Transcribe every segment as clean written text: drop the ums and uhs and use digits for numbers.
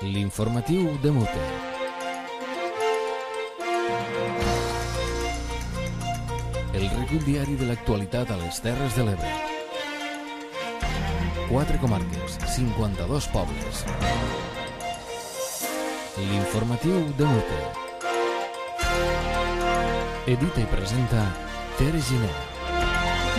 L'informatiu de Mute. El recull diari de l'actualitat a les Terres de l'Ebre. 4 comarques, 52 pobles. L'informatiu de Mute. Edita i presenta Tere Giner.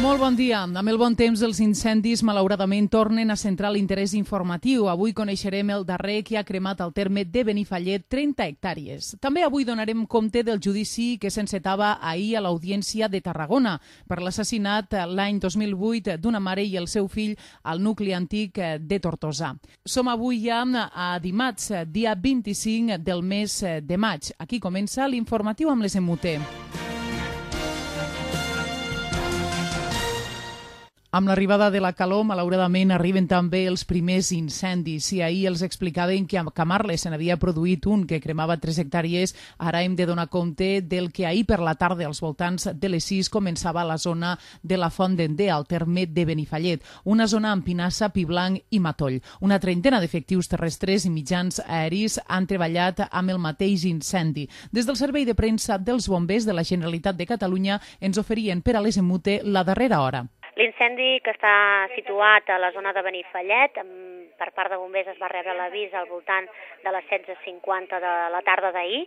Molt bon dia. Amb el bon temps, els incendis malauradament tornen a centrar l'interès informatiu. Avui coneixerem el darrer que ha cremat al terme de Benifallet 30 hectàrees. També avui donarem compte del judici que s'encetava ahir a l'Audiència de Tarragona per l'assassinat l'any 2008 d'una mare i el seu fill al nucli antic de Tortosa. Som avui ja a dimarts, dia 25 del mes de maig. Aquí comença l'informatiu amb les Mute. Amb l'arribada de la calor, malauradament, arriben també els primers incendis. Si ahir els explicaven que a Camarles se n'havia produït un que cremava 3 hectàrees, ara hem de donar compte del que ahir per la tarda, als voltants de les 6, començava a la zona de la Font d'Ender, al terme de Benifallet, una zona amb pinassa, pi blanc i matoll. Una trentena d'efectius terrestres i mitjans aeris han treballat amb el mateix incendi. Des del Servei de Premsa dels Bombers de la Generalitat de Catalunya ens oferien per a les Mute la darrera hora. L'incendi que està situat a la zona de Benifallet, per part de bombers es va rebre l'avís al voltant de les 16:50 de la tarda d'ahir.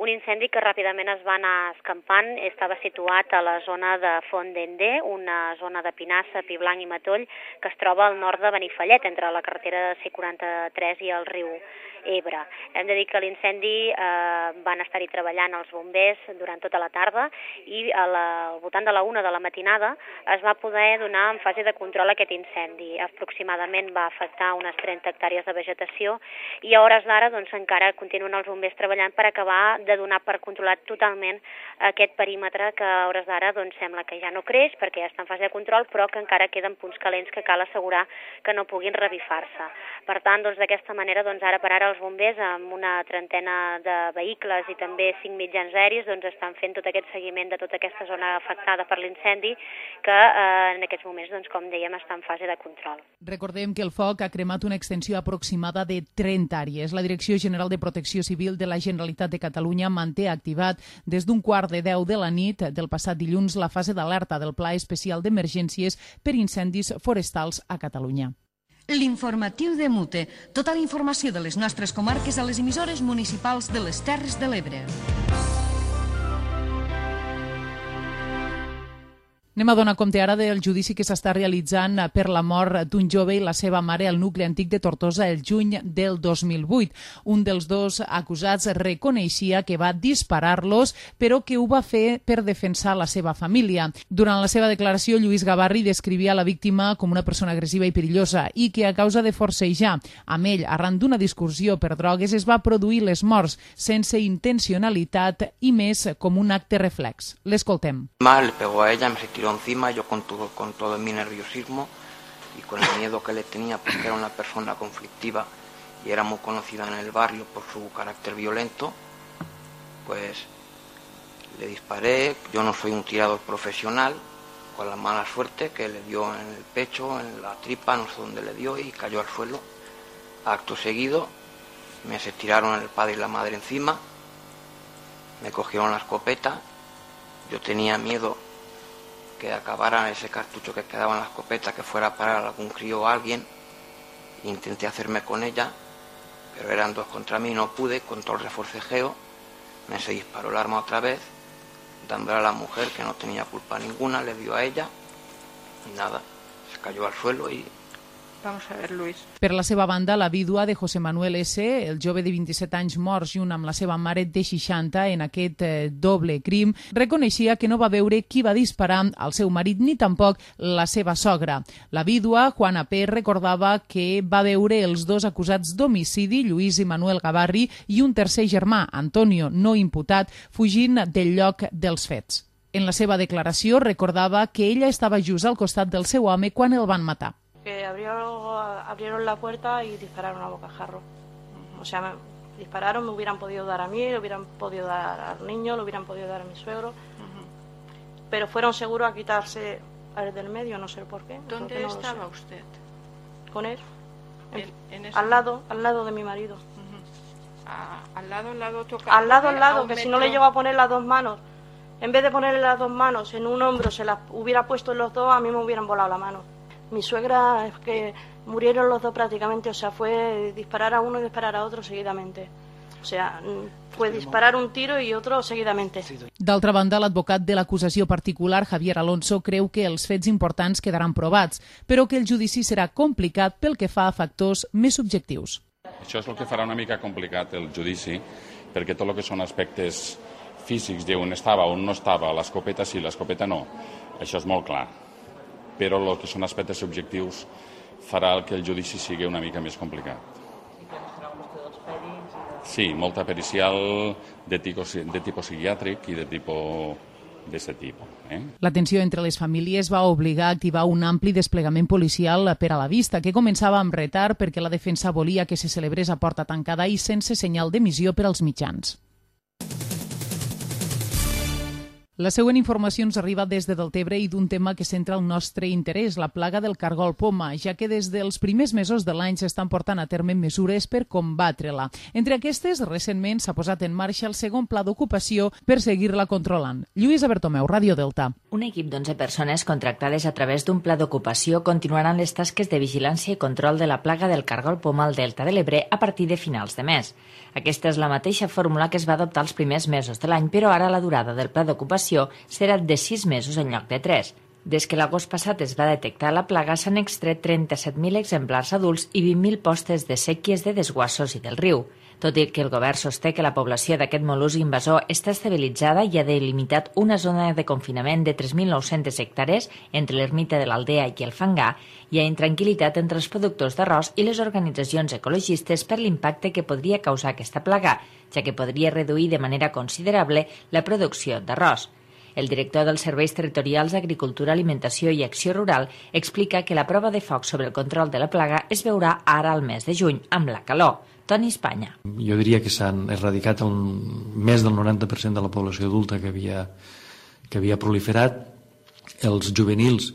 Un incendi que ràpidament es va anar escampant, estava situat a la zona de Font d'Ender, una zona de pinassa, pi blanc i matoll, que es troba al nord de Benifallet, entre la carretera C43 i el riu Ebre. Hem de dir que l'incendi van estar-hi treballant els bombers durant tota la tarda i al voltant de la 1 de la matinada es va poder donar en fase de control aquest incendi. Aproximadament va afectar unes 30 hectàrees de vegetació i a hores d'ara encara continuen els bombers treballant per acabar de donar per controlat totalment aquest perímetre que a hores d'ara sembla que ja no creix perquè ja està en fase de control, però que encara queden punts calents que cal assegurar que no puguin revifar-se. Per tant, d'aquesta manera, ara per ara els bombers amb una trentena de vehicles i també 5 mitjans aeris estan fent tot aquest seguiment de tota aquesta zona afectada per l'incendi que en aquests moments, com dèiem, està en fase de control. Recordem que el foc ha cremat una extensió aproximada de 30 àrees. La Direcció General de Protecció Civil de la Generalitat de Catalunya manté activat des d'un 9:15 de la nit del passat dilluns la fase d'alerta del Pla Especial d'Emergències per incendis forestals a Catalunya. L'informatiu de Mute. Tota la informació de les nostres comarques a les emissores municipals de les Terres de l'Ebre. Anem a donar compte ara del judici que s'està realitzant per la mort d'un jove i la seva mare al nucli antic de Tortosa el juny del 2008. Un dels dos acusats reconeixia que va disparar-los, però que ho va fer per defensar la seva família. Durant la seva declaració, Lluís Gavarri descrivia la víctima com una persona agressiva i perillosa i que a causa de forcejar amb ell arran d'una discussió per drogues es va produir les morts sense intencionalitat i més com un acte reflex. L'escoltem. Le pegó a ella, me se tiró encima, yo con todo mi nerviosismo y con el miedo que le tenía porque era una persona conflictiva y era muy conocida en el barrio por su carácter violento, pues le disparé. Yo no soy un tirador profesional, con la mala suerte que le dio en el pecho, en la tripa, no sé dónde le dio y cayó al suelo. Acto seguido me se tiraron el padre y la madre encima, me cogieron la escopeta. Yo tenía miedo que acabara ese cartucho que quedaba en la escopeta, que fuera a parar algún crío o alguien. Intenté hacerme con ella, pero eran 2 contra mí, no pude, con todo el reforcejeo. Me se disparó el arma otra vez, dándole a la mujer que no tenía culpa ninguna, le dio a ella y nada, se cayó al suelo y... Vamos a ver, Luis. Per la seva banda, la vídua de José Manuel S., el jove de 27 anys mort junt amb la seva mare de 60 en aquest doble crim, reconeixia que no va veure qui va disparar al seu marit ni tampoc la seva sogra. La vídua, Juana P., recordava que va veure els dos acusats d'homicidi, Lluís i Manuel Gavarri, i un tercer germà, Antonio, no imputat, fugint del lloc dels fets. En la seva declaració recordava que ella estava just al costat del seu home quan el van matar. Que abrieron la puerta y dispararon a bocajarro. O sea, me dispararon, me hubieran podido dar a mí, le hubieran podido dar al niño, le hubieran podido dar a mi suegro, pero fueron seguros a quitarse al del medio, no sé por qué. ¿Dónde estaba usted? Con él, al lado de mi marido. Al lado, que si no le llego a poner las dos manos, en vez de ponerle las dos manos en un hombro, se las hubiera puesto en los dos, a mí me hubieran volado la mano. Mi suegra es que murieron los dos prácticamente, o sea, fue disparar a uno y disparar a otro seguidamente. O sea, fue disparar un tiro i otro seguidamente. D'altra banda, l'advocat de l'acusació particular, Javier Alonso, creu que els fets importants quedaran provats, però que el judici serà complicat pel que fa a factors més subjectius. Això és el que farà una mica complicat el judici, perquè tot el que són aspectes físics d'on estava, on no estava, l'escopeta sí, l'escopeta no, això és molt clar. Però el que són aspectes subjectius farà que el judici sigui una mica més complicat. Sí, molta pericial de tipus psiquiàtric i de tipus d'aquest tipus. La tensió entre les famílies va obligar a activar un ampli desplegament policial per a la vista, que començava amb retard perquè la defensa volia que se celebrés a porta tancada i sense senyal d'emissió per als mitjans. La següent informació ens arriba des de Deltebre i d'un tema que centra el nostre interès, la plaga del cargol poma, ja que des dels primers mesos de l'any s'estan portant a terme mesures per combatre-la. Entre aquestes, recentment s'ha posat en marxa el segon pla d'ocupació per seguir-la controlant. Lluïsa Bertomeu, Ràdio Delta. Un equip d'11 persones contractades a través d'un pla d'ocupació continuaran les tasques de vigilància i control de la plaga del cargol poma al Delta de l'Ebre a partir de finals de mes. Aquesta és la mateixa fórmula que es va adoptar els primers mesos de l'any, però ara la durada del pla d'ocupació serà de 6 mesos en lloc de 3. Des que l'agost passat es va detectar la plaga, s'han extret 37.000 exemplars adults i 20.000 postes de séquies de desguassos i del riu. Tot i que el govern sosté que la població d'aquest mol·lusc invasor està estabilitzada i ha delimitat una zona de confinament de 3.900 hectàrees entre l'ermita de l'Aldea i el Fangar, hi ha intranquil·litat entre els productors d'arròs i les organitzacions ecologistes per l'impacte que podria causar aquesta plaga, ja que podria reduir de manera considerable la producció d'arròs. El director dels Serveis Territorials d'Agricultura, Alimentació i Acció Rural explica que la prova de foc sobre el control de la plaga es veurà ara al mes de juny, amb la calor. Toni Espanya. Jo diria que s'han erradicat més del 90% de la població adulta que havia proliferat. Els juvenils,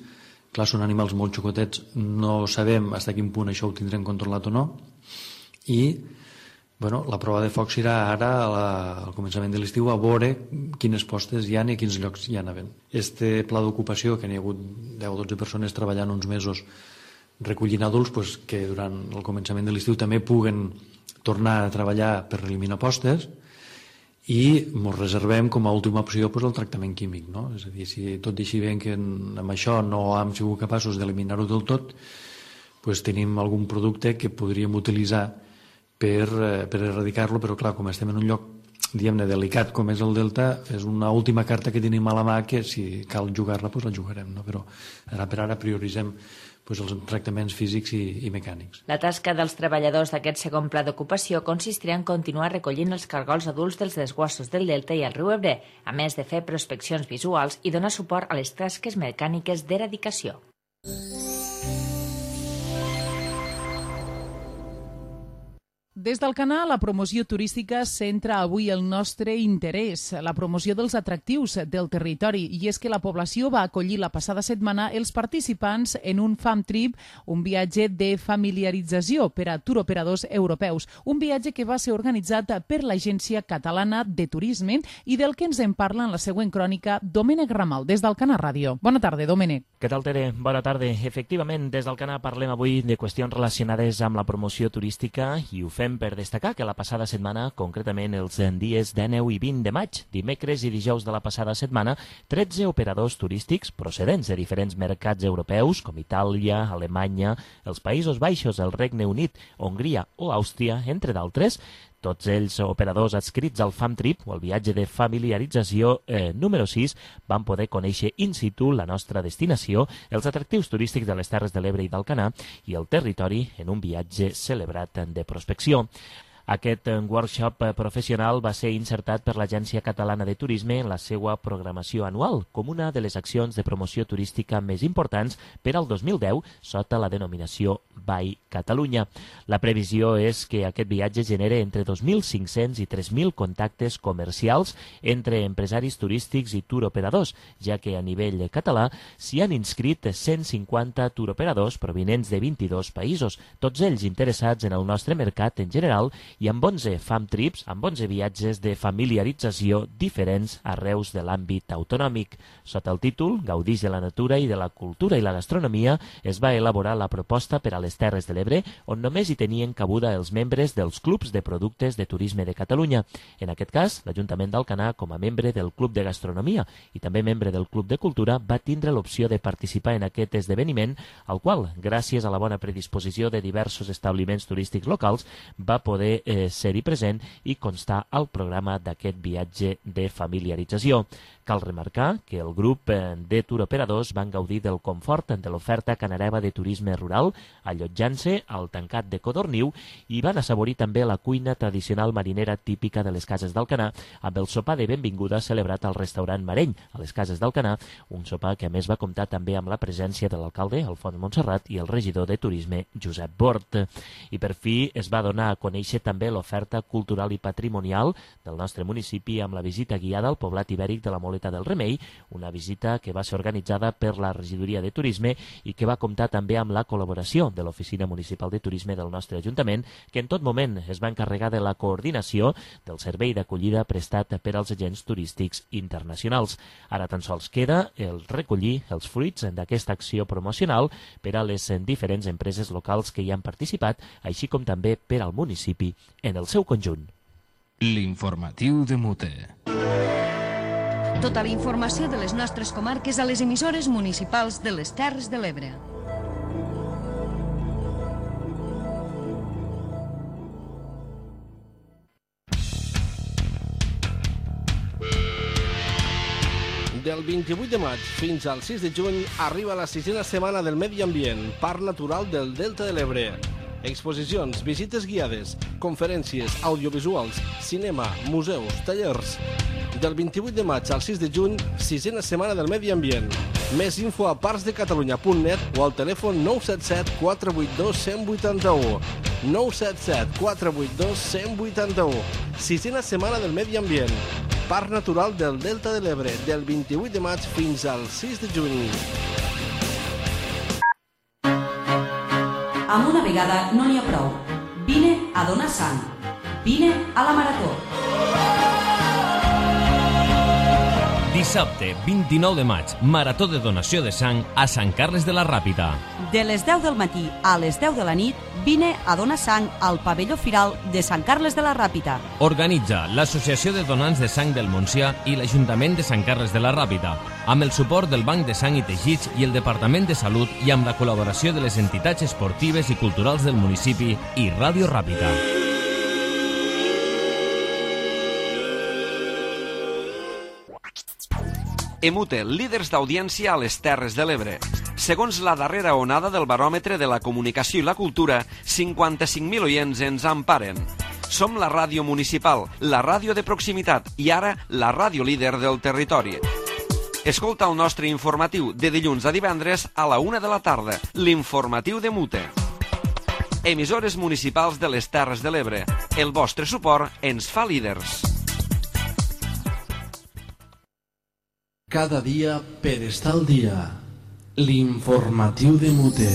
clar, són animals molt xocotets, no sabem fins a quin punt això ho tindrem controlat o no. I la prova de foc serà ara al començament de l'estiu a veure quines postes hi ha i a quins llocs hi ha havent. Este pla d'ocupació, que n'hi ha hagut 10 o 12 persones treballant uns mesos recollint adults, que durant el començament de l'estiu també puguen tornar a treballar per eliminar postes, i ens reservem com a última opció el tractament químic. És a dir, si tot deixi bé que amb això no hem sigut capaços d'eliminar-ho del tot, tenim algun producte que podríem utilitzar per erradicar-lo, però clar, com estem en un lloc diguem-ne delicat com és el Delta, és una última carta que tenim a la mà que si cal jugar-la, la jugarem, però ara per ara prioritzem els tractaments físics i mecànics. La tasca dels treballadors d'aquest segon pla d'ocupació consistirà en continuar recollint els cargols adults dels desguassos del Delta i el riu Ebre, a més de fer prospeccions visuals i donar suport a les tasques mecàniques d'eradicació. Des d'Alcanar, la promoció turística centra avui el nostre interès, la promoció dels atractius del territori, i és que la població va acollir la passada setmana els participants en un Fam Trip, un viatge de familiarització per a turoperadors europeus, un viatge que va ser organitzat per l'Agència Catalana de Turisme i del que ens en parla en la següent crònica Domènec Ramal, des d'Alcanar Ràdio. Bona tarda, Domènec. Què tal, Tere? Bona tarda. Efectivament, des d'Alcanar parlem avui de qüestions relacionades amb la promoció turística i ho fem per destacar que la passada setmana, concretament els dies 19 i 20 de maig, dimecres i dijous de la passada setmana, 13 operadors turístics procedents de diferents mercats europeus, com Itàlia, Alemanya, els Països Baixos, el Regne Unit, Hongria o Àustria, entre d'altres, tots ells operadors adscrits al Fam Trip, o el viatge de familiarització número 6, van poder conèixer in situ la nostra destinació, els atractius turístics de les Terres de l'Ebre i d'Alcanar i el territori en un viatge celebrat de prospecció. Aquest workshop professional va ser insertat per l'Agència Catalana de Turisme en la seva programació anual, com una de les accions de promoció turística més importants per al 2010 sota la denominació By Catalunya. La previsió és que aquest viatge genere entre 2.500 i 3.000 contactes comercials entre empresaris turístics i turoperadors, ja que a nivell català s'hi han inscrit 150 turoperadors provinents de 22 països, tots ells interessats en el nostre mercat en general i amb 11 fam trips, amb 11 viatges de familiarització diferents arreus de l'àmbit autonòmic. Sota el títol Gaudix de la natura i de la cultura i la gastronomia es va elaborar la proposta per a les Terres de l'Ebre, on només hi tenien cabuda els membres dels clubs de productes de turisme de Catalunya. En aquest cas, l'Ajuntament d'Alcanar, com a membre del Club de Gastronomia i també membre del Club de Cultura, va tindre l'opció de participar en aquest esdeveniment, al qual, gràcies a la bona predisposició de diversos establiments turístics locals, va poder ser-hi present i constar al programa d'aquest viatge de familiarització. Cal remarcar que el grup de turoperadors van gaudir del confort de l'oferta canareva de turisme rural, allotjant-se al tancat de Codorniu, i van assaborir també la cuina tradicional marinera típica de les cases d'Alcanar, amb el sopar de benvinguda celebrat al restaurant Mareny, a les cases d'Alcanar, un sopar que a més va comptar també amb la presència de l'alcalde, Alfons Montserrat, i el regidor de turisme, Josep Bort. I per fi es va donar a conèixer també l'oferta cultural i patrimonial del nostre municipi amb la visita guiada al poblat ibèric de la Moleta del Remei, una visita que va ser organitzada per la Regidoria de Turisme i que va comptar també amb la col·laboració de l'Oficina Municipal de Turisme del nostre Ajuntament, que en tot moment es va encarregar de la coordinació del servei d'acollida prestat per als agents turístics internacionals. Ara tan sols queda el recollir els fruits d'aquesta acció promocional per a les diferents empreses locals que hi han participat, així com també per al municipi en el seu conjunt. L'informatiu de Mute. Tota la informació de les nostres comarques a les emissores municipals de les Terres de l'Ebre. Del 28 de maig fins al 6 de juny arriba la 6a setmana del Medi Ambient, Parc Natural del Delta de l'Ebre. Exposicions, visites guiades, conferències, audiovisuals, cinema, museus, tallers. Del 28 de maig al 6 de juny, 6a setmana del Medi Ambient. Més info a parcsdecatalunya.net o al telèfon 977 482 181. 977 482 181. 6a setmana del Medi Ambient. Parc Natural del Delta de l'Ebre, del 28 de maig fins al 6 de juny. Amb una vegada no n'hi ha prou. Vine a donar sang. Vine a la Marató. Dissabte, 29 de maig, Marató de donació de sang a Sant Carles de la Ràpita. De les 10 del matí a les 10 de la nit, vine a donar sang al pavelló firal de Sant Carles de la Ràpita. Organitza l'Associació de Donants de Sang del Montsià i l'Ajuntament de Sant Carles de la Ràpita, amb el suport del Banc de Sang i Teixits i el Departament de Salut i amb la col·laboració de les entitats esportives i culturals del municipi i Ràdio Ràpita. Emute, líders d'audiència a les Terres de l'Ebre. Segons la darrera onada del baròmetre de la comunicació i la cultura, 55.000 oients ens emparen. Som la ràdio municipal, la ràdio de proximitat i ara la ràdio líder del territori. Escolta el nostre informatiu de dilluns a divendres a la 1 de la tarda, l'informatiu de Mute. Emissores municipals de les Terres de l'Ebre. El vostre suport ens fa líders. Cada dia per estar al dia. L'informatiu de Mute.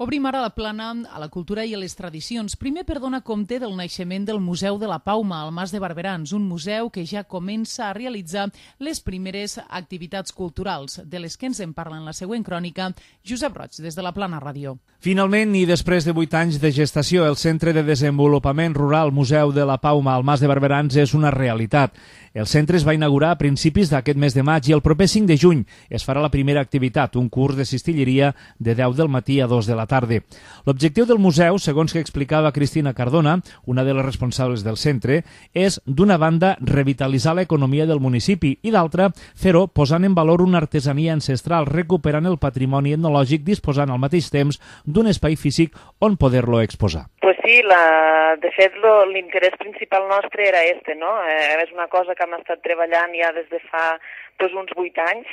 Obrim ara la plana a la cultura i a les tradicions. Primer per donar compte del naixement del Museu de la Pauma, al Mas de Barberans, un museu que ja comença a realitzar les primeres activitats culturals, de les que ens en parla en la següent crònica Josep Roig, des de la Plana Ràdio. Finalment, i després de 8 anys de gestació, el Centre de Desenvolupament Rural Museu de la Pauma al Mas de Barberans és una realitat. El centre es va inaugurar a principis d'aquest mes de maig i el proper 5 de juny es farà la primera activitat, un curs de cistilleria de 10 del matí a 2 de la tarda. L'objectiu del museu, segons que explicava Cristina Cardona, una de les responsables del centre, és, d'una banda, revitalitzar l'economia del municipi i, d'altra, fer-ho posant en valor una artesania ancestral, recuperant el patrimoni etnològic, disposant al mateix temps d'un espai físic on poder-lo exposar. Pues sí, de fet l'interès principal nostre era este, no? És una cosa que hem estat treballant ja des de fa uns 8 anys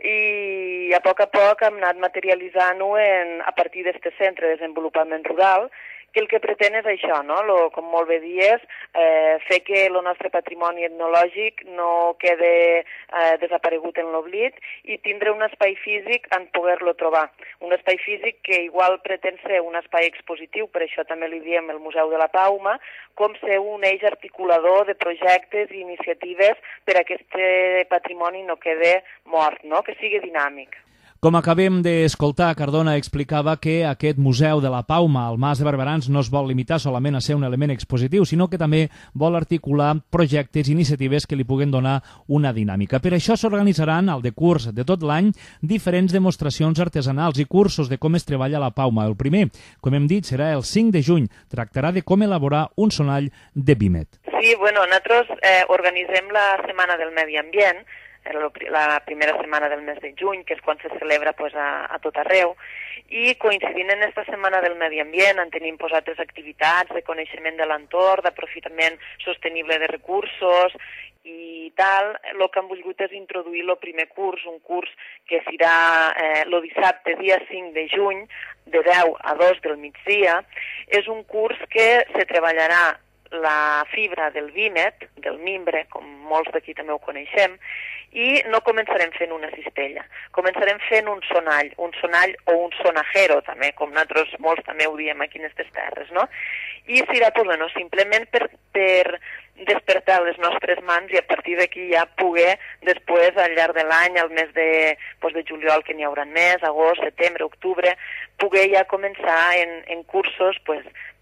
i a poc hem anat materialitzant-ho a partir d'aquest centre de desenvolupament rural que el que pretén és això, no? Com molt bé dies, fer que el nostre patrimoni etnològic no quede desaparegut en l'oblit i tindre un espai físic en poder-lo trobar. Un espai físic que igual pretén ser un espai expositiu, per això també li diem el Museu de la Pauma, com ser un eix articulador de projectes i iniciatives per a que aquest patrimoni no quede mort, no? Que sigui dinàmic. Com acabem d'escoltar, Cardona explicava que aquest Museu de la Pauma al Mas de Barberans no es vol limitar solament a ser un element expositiu, sinó que també vol articular projectes i iniciatives que li puguen donar una dinàmica. Per això s'organitzaran al decurs de tot l'any diferents demostracions artesanals i cursos de com es treballa la pauma. El primer, com hem dit, serà el 5 de juny. Tractarà de com elaborar un sonall de vímet. Sí, nosaltres organitzem la Setmana del Medi Ambient, la primera setmana del mes de juny, que és quan se celebra a tot arreu, i coincidint en aquesta Setmana del Medi Ambient en tenim altres activitats de coneixement de l'entorn, d'aprofitament sostenible de recursos i tal. El que hem volgut és introduir el primer curs, un curs que serà el dissabte, dia 5 de juny, de 10 a 2 del migdia. És un curs que se treballarà la fibra del vímet, del mimbre, com molts d'aquí també ho coneixem, i no començarem fent una cistella, començarem fent un sonall o un sonajero, també, com nosaltres molts també ho diem aquí en aquestes terres, no? I serà, simplement per despertar les nostres mans i a partir d'aquí ja poder, després, al llarg de l'any, al mes de juliol, que n'hi haurà més, agost, setembre, octubre, poder ja començar en cursos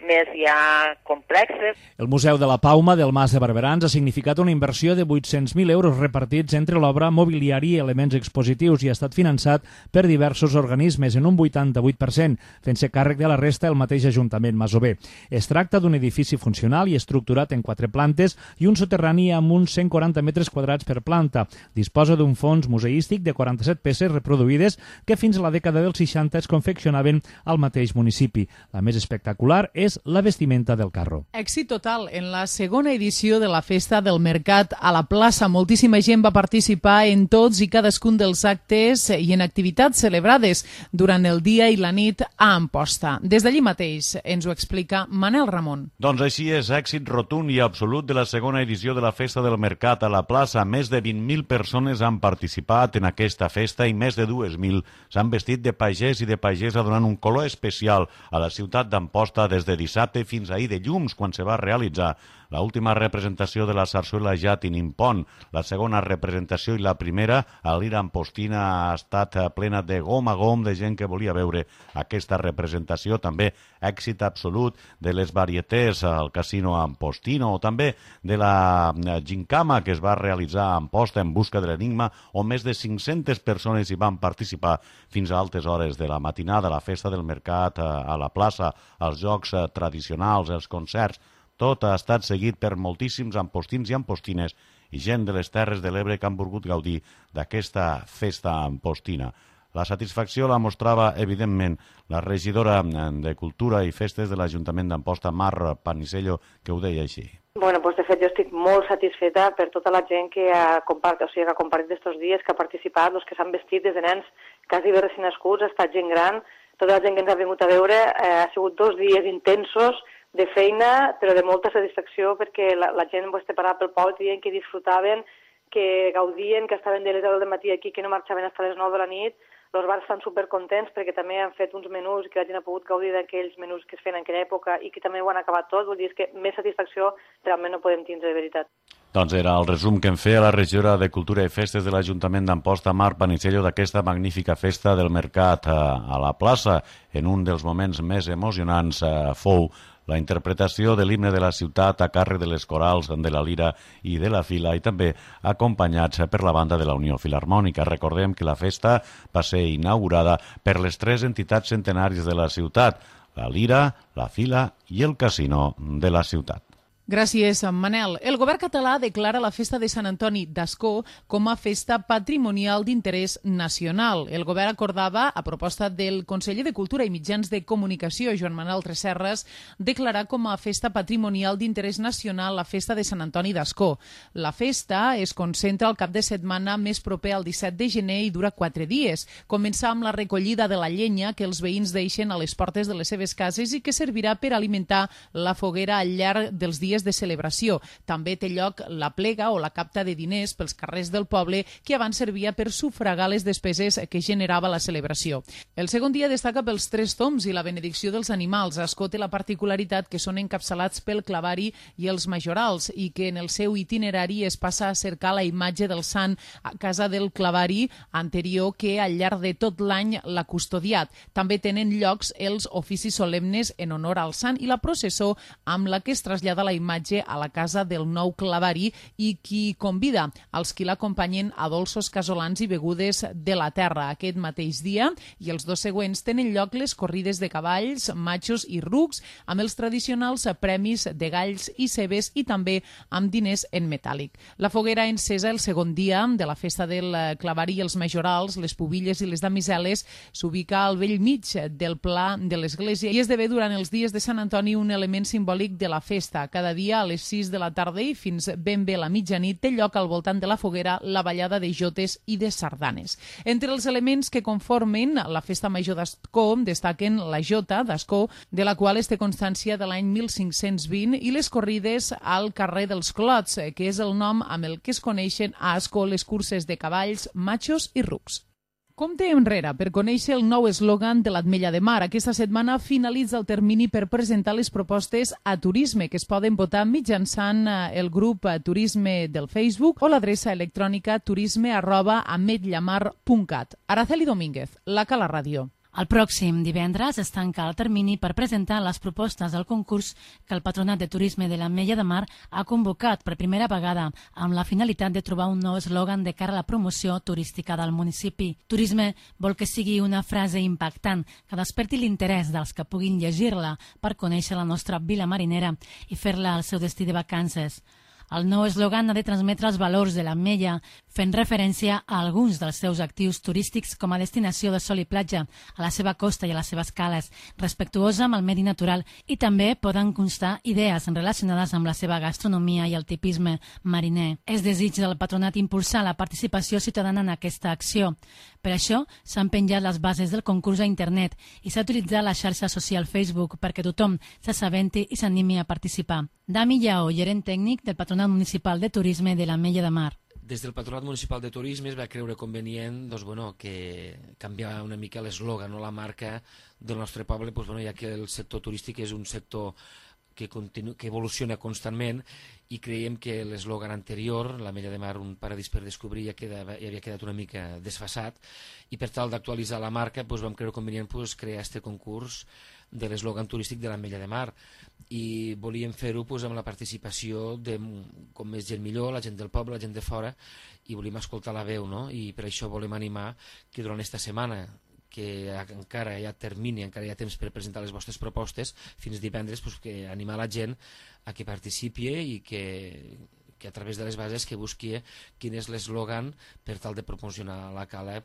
més ja complexes. El Museu de la Pauma del Mas de Barberans ha significat una inversió de 800.000 euros repartits entre l'obra, mobiliari i elements expositius i ha estat finançat per diversos organismes en un 88%, fent-se càrrec de la resta el mateix Ajuntament masover. Es tracta d'un edifici funcional i estructurat en 4 plantes i un soterrani amb uns 140 metres quadrats per planta. Disposa d'un fons museístic de 47 peces reproduïdes que fins a la dècada dels 60 es confeccionaven al mateix municipi. La més espectacular és la vestimenta del carro. Èxit total en la segona edició de la Festa del Mercat a la plaça. Moltíssima gent va participar en tots i cadascun dels actes i en activitats celebrades durant el dia i la nit a Amposta. Des d'allí mateix ens ho explica Manel Ramon. Doncs així és, èxit rotund i absolut de la segona edició de la Festa del Mercat a la plaça. Més de 20.000 persones han participat en aquesta festa i més de 2.000 s'han vestit de pagès i de pagesa donant un color especial a la ciutat d'Amposta des de dissabte fins ahir de llums, quan se va realitzar l'última representació de la sarsuela Jatin Impon. La segona representació i la primera, a l'Ira Ampostina, ha estat plena de gom a gom de gent que volia veure aquesta representació. També èxit absolut de les varietés al Casino Ampostino o també de la gincama que es va realitzar a Amposta en busca de l'enigma, on més de 500 persones hi van participar fins a altes hores de la matinada. La Festa del Mercat a la plaça, els jocs tradicionals, els concerts, tot ha estat seguit per moltíssims ampostins i ampostines i gent de les Terres de l'Ebre que han volgut gaudir d'aquesta festa ampostina. La satisfacció la mostrava, evidentment, la regidora de Cultura i Festes de l'Ajuntament d'Amposta, Mar Panisello, que ho deia així. De fet, jo estic molt satisfeta per tota la gent que ha compartit aquests dies, que ha participat, els que s'han vestit des de nens quasi bé recent nascuts, ha estat gent gran, tota la gent que ens ha vingut a veure. Ha sigut 2 dies intensos, de feina, però de molta satisfacció, perquè la gent parava pel poble, dient que disfrutaven, que gaudien, que estaven de les 10 del matí aquí, que no marxaven fins a les 9 de la nit. Els bars estan supercontents perquè també han fet uns menús que la gent ha pogut gaudir d'aquells menús que es feien en aquella època i que també ho han acabat tot. Vull dir, que més satisfacció realment no podem tindre, de veritat. Doncs era el resum que en feia la regidora de Cultura i Festes de l'Ajuntament d'Amposta, Mar Panisello, d'aquesta magnífica festa del mercat a la plaça. En un dels moments més emocionants fou la interpretació de l'himne de la ciutat a càrrec de les corals de la Lira i de la Fila i també acompanyats per la banda de la Unió Filharmònica. Recordem que la festa va ser inaugurada per les 3 entitats centenàries de la ciutat, la Lira, la Fila i el Casino de la ciutat. Gràcies, Manel. El govern català declara la festa de Sant Antoni d'Ascó com a festa patrimonial d'interès nacional. El govern acordava, a proposta del conseller de Cultura i Mitjans de Comunicació, Joan Manuel Tresserras, declarar com a festa patrimonial d'interès nacional la festa de Sant Antoni d'Ascó. La festa es concentra al cap de setmana més proper al 17 de gener i dura 4 dies. Comença amb la recollida de la llenya que els veïns deixen a les portes de les seves cases i que servirà per alimentar la foguera al llarg dels dies de celebració. També té lloc la plega o la capta de diners pels carrers del poble que abans servia per sufragar les despeses que generava la celebració. El segon dia destaca pels 3 tombs i la benedicció dels animals. Ascó té la particularitat que són encapçalats pel clavari i els majorals i que en el seu itinerari es passa a cercar la imatge del sant a casa del clavari anterior que al llarg de tot l'any l'ha custodiat. També tenen llocs els oficis solemnes en honor al sant i la processó amb la que es trasllada la imatge a la casa del nou clavari i qui convida als qui l'acompanyen a dolços casolans i begudes de la terra. Aquest mateix dia i els 2 següents tenen lloc les corrides de cavalls, matxos i rucs amb els tradicionals premis de galls i cebes i també amb diners en metàl·lic. La foguera encesa el segon dia de la festa del clavari i els majorals, les pubilles i les damiseles, s'ubica al vell mig del pla de l'església i esdevé durant els dies de Sant Antoni un element simbòlic de la festa. Cada dia a les 6 de la tarda i fins ben bé la mitjanit té lloc al voltant de la foguera la ballada de jotes i de sardanes. Entre els elements que conformen la festa major d'Ascó destaquen la jota d'Ascó, de la qual es té constància de l'any 1520, i les corrides al carrer dels Clots, que és el nom amb el que es coneixen a Ascó les curses de cavalls, matxos i rucs. Compte enrere per conèixer el nou eslògan de l'Ametlla de Mar. Aquesta setmana finalitza el termini per presentar les propostes a turisme que es poden votar mitjançant el grup Turisme del Facebook o l'adreça electrònica turisme@ametllamar.cat. Araceli Domínguez, la Cala Ràdio. El pròxim divendres es tanca el termini per presentar les propostes del concurs que el Patronat de Turisme de l'Ametlla de Mar ha convocat per primera vegada amb la finalitat de trobar un nou eslògan de cara a la promoció turística del municipi. Turisme vol que sigui una frase impactant que desperti l'interès dels que puguin llegir-la per conèixer la nostra vila marinera i fer-la el seu destí de vacances. El nou eslògan ha de transmetre els valors de l'Ametlla, fent referència a alguns dels seus actius turístics com a destinació de sol i platja, a la seva costa i a les seves cales, respectuosa amb el medi natural, i també poden constar idees relacionades amb la seva gastronomia i el tipisme mariner. És desig del patronat impulsar la participació ciutadana en aquesta acció. Per això s'han penjat les bases del concurs a internet i s'ha utilitzat la xarxa social Facebook perquè tothom s'assabenti i s'animi a participar. Dami Lleó, gerent tècnic del Patronat Municipal de Turisme de l'Ametlla de Mar. Des del Patronat Municipal de Turisme es va creure convenient que canviar una mica l'eslògan o la marca del nostre poble, ja que el sector turístic és un sector que evoluciona constantment i creiem que l'eslògan anterior, l'Ametlla de Mar, un paradís per descobrir, ja havia quedat una mica desfasat, i per tal d'actualitzar la marca vam creure convenient crear aquest concurs de l'eslògan turístic de l'Ametlla de Mar, i volíem fer-ho amb la participació de com més gent millor, la gent del poble, la gent de fora, i volíem escoltar la veu, no? I per això volem animar que durant aquesta setmana, que encara hi ha termini, encara hi ha temps per presentar les vostres propostes, fins divendres, que animar la gent a que participi i que a través de les bases que busqui quin és l'eslògan per tal de promocionar la cala a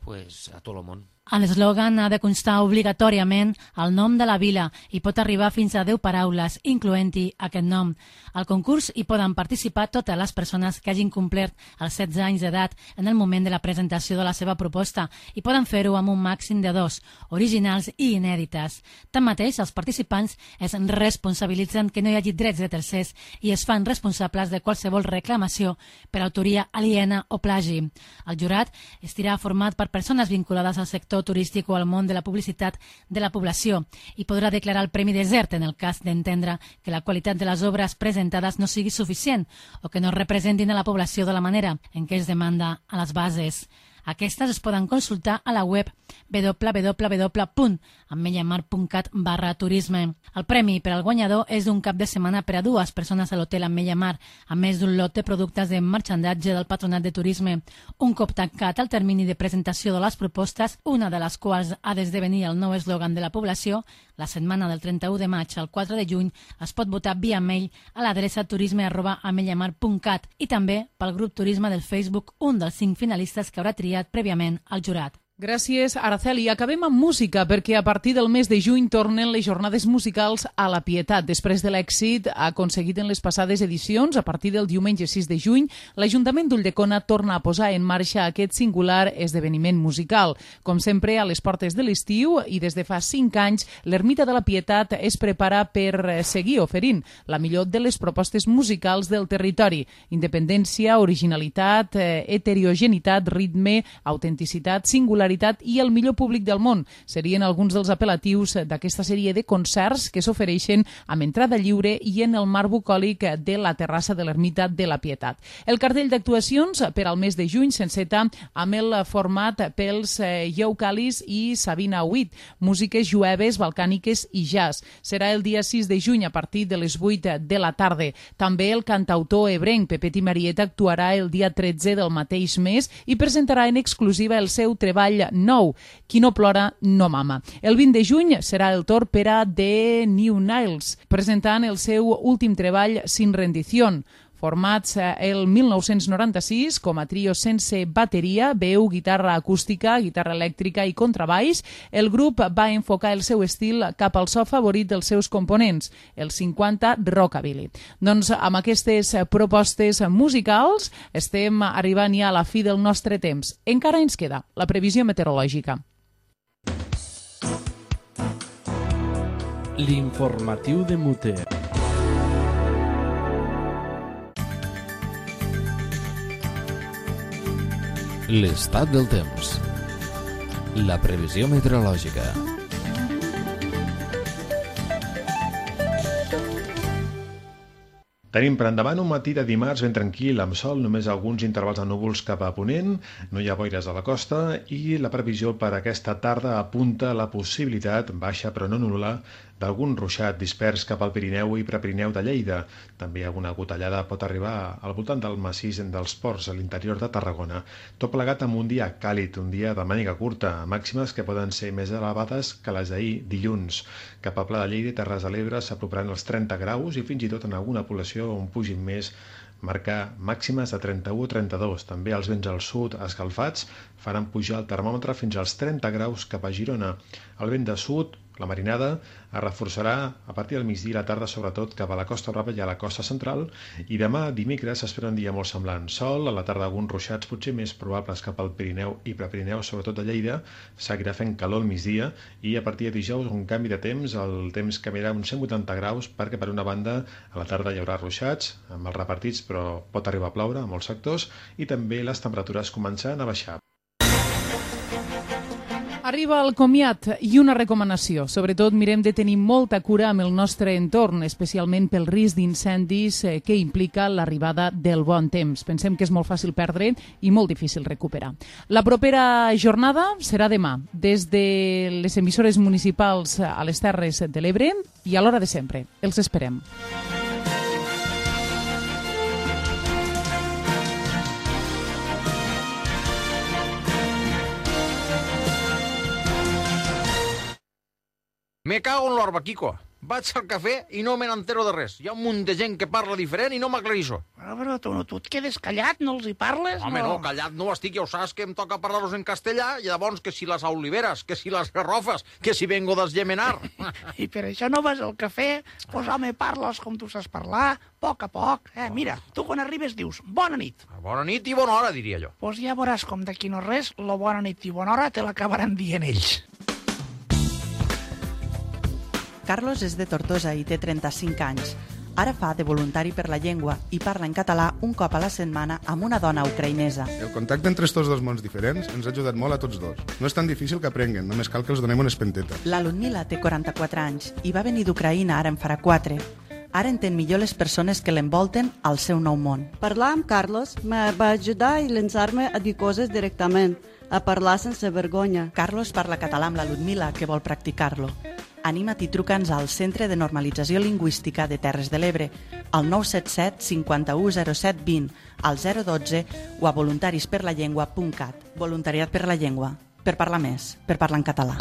tot el món. A l'eslògan ha de constar obligatòriament el nom de la vila i pot arribar fins a 10 paraules, incloent-hi aquest nom. Al concurs hi poden participar totes les persones que hagin complert els 16 anys d'edat en el moment de la presentació de la seva proposta i poden fer-ho amb un màxim de 2, originals i inèdites. Tanmateix, els participants es responsabilitzen que no hi hagi drets de tercers i es fan responsables de qualsevol reclamació per autoria aliena o plagi. El jurat estarà format per persones vinculades al sector turístic o al món de la publicitat de la població i podrà declarar el premi desert en el cas d'entendre que la qualitat de les obres presentades no sigui suficient o que no representin a la població de la manera en què es demanda a les bases. Aquestes es poden consultar a la web www.ametllamar.cat/turisme. El premi per al guanyador és d'un cap de setmana per a 2 persones a l'hotel Ametlla Mar, a més d'un lot de productes de marxandatge del Patronat de Turisme. Un cop tancat el termini de presentació de les propostes, una de les quals ha d'esdevenir el nou eslògan de la població, La setmana del 31 de maig al 4 de juny es pot votar via mail a l'adreça turisme@ametlllamar.cat i també pel grup Turisme del Facebook, un dels 5 finalistes que haurà triat prèviament el jurat. Gràcies, Araceli. Acabem amb música, perquè a partir del mes de juny tornen les jornades musicals a la Pietat. Després de l'èxit aconseguit en les passades edicions, a partir del diumenge 6 de juny, l'Ajuntament d'Ulldecona torna a posar en marxa aquest singular esdeveniment musical. Com sempre, a les portes de l'estiu i des de fa 5 anys, l'Ermita de la Pietat es prepara per seguir oferint la millor de les propostes musicals del territori. Independència, originalitat, heterogeneïtat, ritme, autenticitat, singularitat i el millor públic del món. Serien alguns dels apel·latius d'aquesta sèrie de concerts que s'ofereixen amb entrada lliure i en el marc bucòlic de la terrassa de l'Ermita de la Pietat. El cartell d'actuacions per al mes de juny s'enceta amb el format pels Ieucalis i Sabina Huit, músiques jueves, balcàniques i jazz. Serà el dia 6 de juny a partir de les 8 de la tarda. També el cantautor ebrenc Pepet i Marieta actuarà el dia 13 del mateix mes i presentarà en exclusiva el seu treball nou, Qui no plora no mama. El 20 de juny serà el torn per a The New Niles, presentant el seu últim treball Sin Rendición. Formats el 1996 com a trio sense bateria, veu, guitarra acústica, guitarra elèctrica i contrabaix, el grup va enfocar el seu estil cap al so favorit dels seus components, el 50 rockabilly. Doncs amb aquestes propostes musicals estem arribant ja a la fi del nostre temps. Encara ens queda la previsió meteorològica. L'informatiu de Muter. L'estat del temps. La previsió meteorològica. Tenim per endavant un matí de dimarts ben tranquil, amb sol, només alguns intervals de núvols cap a ponent, no hi ha boires a la costa i la previsió per aquesta tarda apunta la possibilitat, baixa però no nul·la, d'algun ruixat dispers cap al Pirineu i Prepirineu de Lleida. També alguna gotellada pot arribar al voltant del massís dels Ports a l'interior de Tarragona. Tot plegat amb un dia càlid, un dia de màniga curta, màximes que poden ser més elevades que les d'ahir dilluns. Cap a Pla de Lleida i Terres de l'Ebre s'aproparan els 30 graus i fins i tot en alguna població on pugin més, marcar màximes de 31 o 32. També els vents al sud escalfats faran pujar el termòmetre fins als 30 graus cap a Girona. El vent de sud, la marinada, es reforçarà a partir del migdia i la tarda, sobretot cap a la Costa Brava i a la costa central, i demà, dimecres, s'espera un dia molt semblant. Sol, a la tarda alguns ruixats, potser més probables cap al Pirineu i Prepirineu, sobretot a Lleida, seguirà fent calor al migdia, i a partir de dijous un canvi de temps, el temps canviarà uns 180 graus, perquè per una banda a la tarda hi haurà ruixats, amb els repartits, però pot arribar a ploure a molts sectors, i també les temperatures començaran a baixar. Arriba el comiat i una recomanació. Sobretot mirem de tenir molta cura amb el nostre entorn, especialment pel risc d'incendis que implica l'arribada del bon temps. Pensem que és molt fàcil perdre i molt difícil recuperar. La propera jornada serà demà, des de les emissores municipals a les Terres de l'Ebre i a l'hora de sempre. Els esperem. Me cago en l'orba, Quico. Vaig al cafè i no me n'entero de res. Hi ha un munt de gent que parla diferent i no m'aclarissó. Però tu et quedes callat, no els hi parles? Home, no, callat no estic, ja ho saps que em toca parlar-los en castellà, i llavors que si les oliveres, que si les garrofes, que si vengo del Yemenar. I per això no vas al cafè? Pues home, parles com tu saps parlar, a poc. Mira, tu quan arribes dius, bona nit. Bona nit i bona hora, diria jo. Pues ja veuràs com d'aquí no res, la bona nit i bona hora te l'acabaran dient ells. Carlos és de Tortosa i té 35 anys. Ara fa de voluntari per la llengua i parla en català un cop a la setmana amb una dona ucraïnesa. El contacte entre estos dos mons diferents ens ha ajudat molt a tots dos. No és tan difícil que aprenguen, només cal que els donem una espenteta. La Ludmila té 44 anys i va venir d'Ucraïna ara en farà 4. Ara entén millor les persones que l'envolten al seu nou món. Parlar amb Carlos me va ajudar i llançar-me a dir coses directament, a parlar sense vergonya. Carlos parla català amb la Ludmila, que vol practicar-lo. Anima't i truca'ns al Centre de Normalització Lingüística de Terres de l'Ebre, al 977 51 07 20, al 012 o a voluntarisperlallengua.cat. Voluntariat per la llengua, per parlar més, per parlar en català.